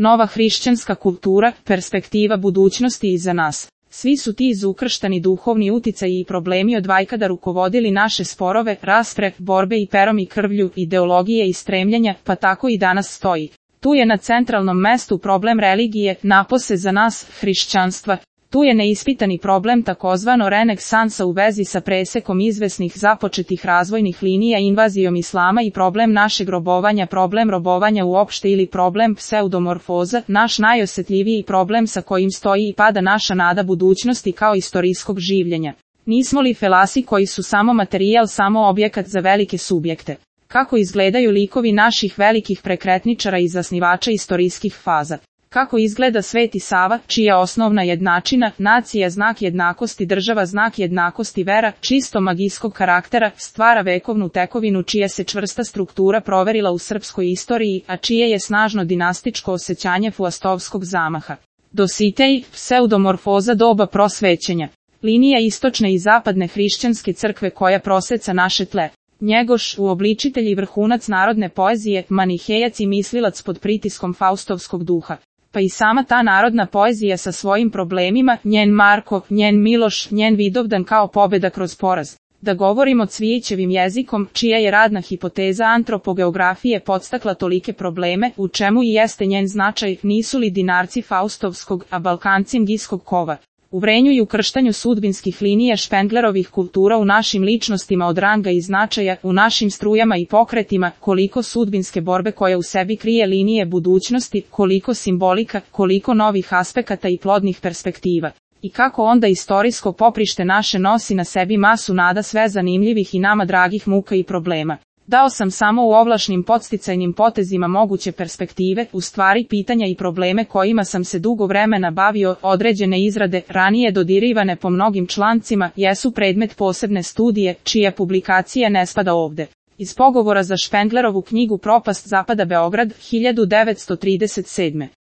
nova hrišćanska kultura, perspektiva budućnosti iza nas. Svi su ti izukrštani duhovni uticaji i problemi od vajkada rukovodili naše sporove, raspre, borbe i perom i krvlju, ideologije i stremljenja, pa tako i danas stoji. Tu je na centralnom mestu problem religije, napose za nas, hrišćanstva. Tu je neispitani problem takozvano renesansa u vezi sa presekom izvesnih započetih razvojnih linija invazijom islama i problem našeg robovanja, problem robovanja uopšte ili problem pseudomorfoza, naš najosjetljiviji problem sa kojim stoji i pada naša nada budućnosti kao istorijskog življenja. Nismo li felasi koji su samo materijal, samo objekat za velike subjekte? Kako izgledaju likovi naših velikih prekretničara i zasnivača istorijskih faza? Kako izgleda Sveti Sava, čija osnovna jednačina, nacija znak jednakosti, država znak jednakosti, vera, čisto magijskog karaktera, stvara vekovnu tekovinu čija se čvrsta struktura proverila u srpskoj istoriji, a čije je snažno dinastičko osjećanje fuastovskog zamaha. Dositej, pseudomorfoza doba prosvećenja. Linija istočne i zapadne hrišćanske crkve koja proseca naše tle. Njegoš, uobličitelj i vrhunac narodne poezije, manihejac i mislilac pod pritiskom faustovskog duha. Pa i sama ta narodna poezija sa svojim problemima, njen Marko, njen Miloš, njen Vidovdan kao pobjeda kroz poraz. Da govorimo Cvijićevim jezikom, čija je radna hipoteza antropogeografije podstakla tolike probleme, u čemu i jeste njen značaj, nisu li dinarci faustovskog, a Balkanci ngijskog kova. U vrenju i ukrštanju sudbinskih linija Špenglerovih kultura u našim ličnostima od ranga i značaja, u našim strujama i pokretima, koliko sudbinske borbe koja u sebi krije linije budućnosti, koliko simbolika, koliko novih aspekata i plodnih perspektiva. I kako onda istorijsko poprište naše nosi na sebi masu nada sve zanimljivih i nama dragih muka i problema. Dao sam samo u ovlašnim podsticajnim potezima moguće perspektive, u stvari pitanja i probleme kojima sam se dugo vremena bavio, određene izrade, ranije dodirivane po mnogim člancima, jesu predmet posebne studije, čija publikacija ne spada ovde. Iz pogovora za Špenglerovu knjigu Propast zapada Beograd, 1937.